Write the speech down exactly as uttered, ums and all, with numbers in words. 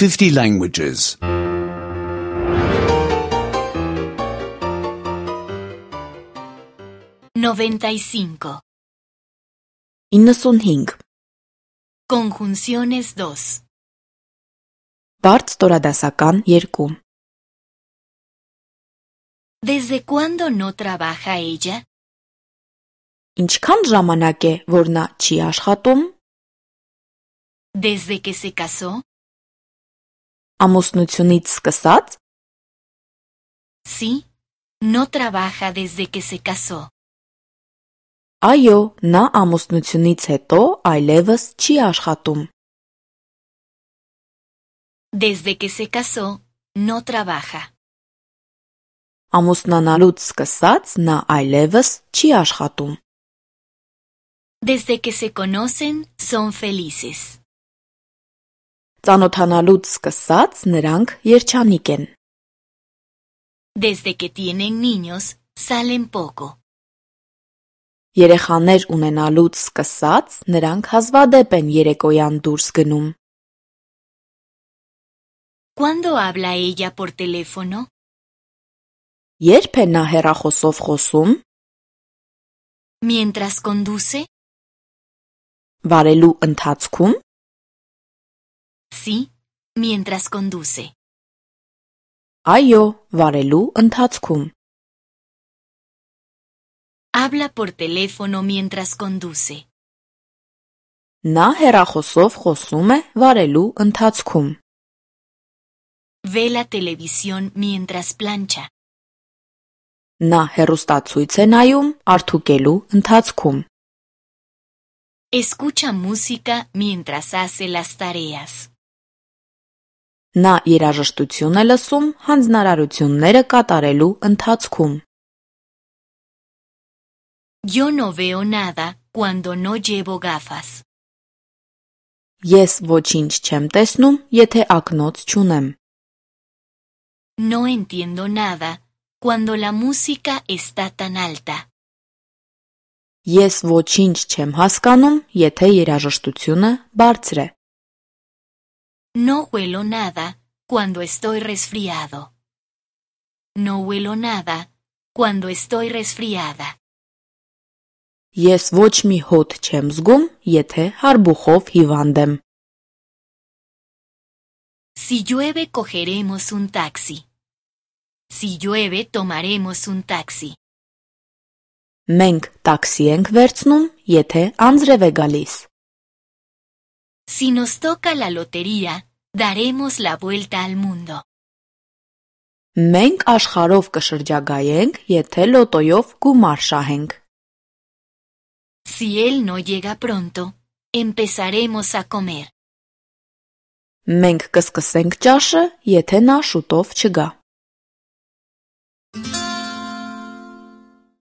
fifty languages. noventa y cinco. իննսունհինգ. Conjunciones dos. Բարդ ստորադասական երկու. ¿Desde cuándo no trabaja ella? Ինչքան ժամանակ է, որ նա չի աշխատում? ¿Desde que se casó? Ամուսնությունից սկսած? Sí, no trabaja desde que se casó. Այո, նա ամուսնությունից հետո այլևս չի աշխատում. Desde que se casó, no trabaja. Ամուսնանալուց սկսած նա այլևս չի աշխատում. Desde que se conocen, son felices. Ծանոթանալուց սկսած նրանք երջանիկ են. Desde que tienen niños, salen poco. Երեխաներ ունենալուց սկսած նրանք հազվադեպ են երեկոյան դուրս գնում. ¿Cuándo habla ella por teléfono? Երբ է նա հեռախոսով խոսում? ¿Mientras conduce? Վարելու ընթացքում? Sí, mientras conduce. Այո, վարելու ընթացքում. Habla por teléfono mientras conduce. Նա հեռախոսով խոսում է վարելու ընթացքում. Ve la televisión mientras plancha. Նա հեռուստացույց է նայում արդուկելու ընթացքում. Escucha música mientras hace las tareas. Նա երաժշտություն է լսում հանձնարարությունները կատարելու ընթացքում. Yo no veo nada cuando no llevo gafas. Ես ոչինչ չեմ տեսնում, եթե ակնոց չունեմ. No entiendo nada cuando la música está tan alta. Ես ոչինչ չեմ հասկանում, եթե երաժշտությունը բարձր է. No huelo nada cuando estoy resfriado. No huelo nada cuando estoy resfriada. Ես ոչ մի հոտ չեմ զգում, եթե հարբուխով հիվանդ եմ. Si llueve cogeremos un taxi. Si llueve tomaremos un taxi. Մենք տաքսի ենք վերցնում, եթե անձրև է գալիս. Si nos toca la lotería, daremos la vuelta al mundo. Մենք աշխարհով կշրջագայենք, եթե լոտոյով գումար շահենք. Si él no llega pronto, empezaremos a comer. Մենք կսկսենք ճաշը, եթե նա շուտով չգա.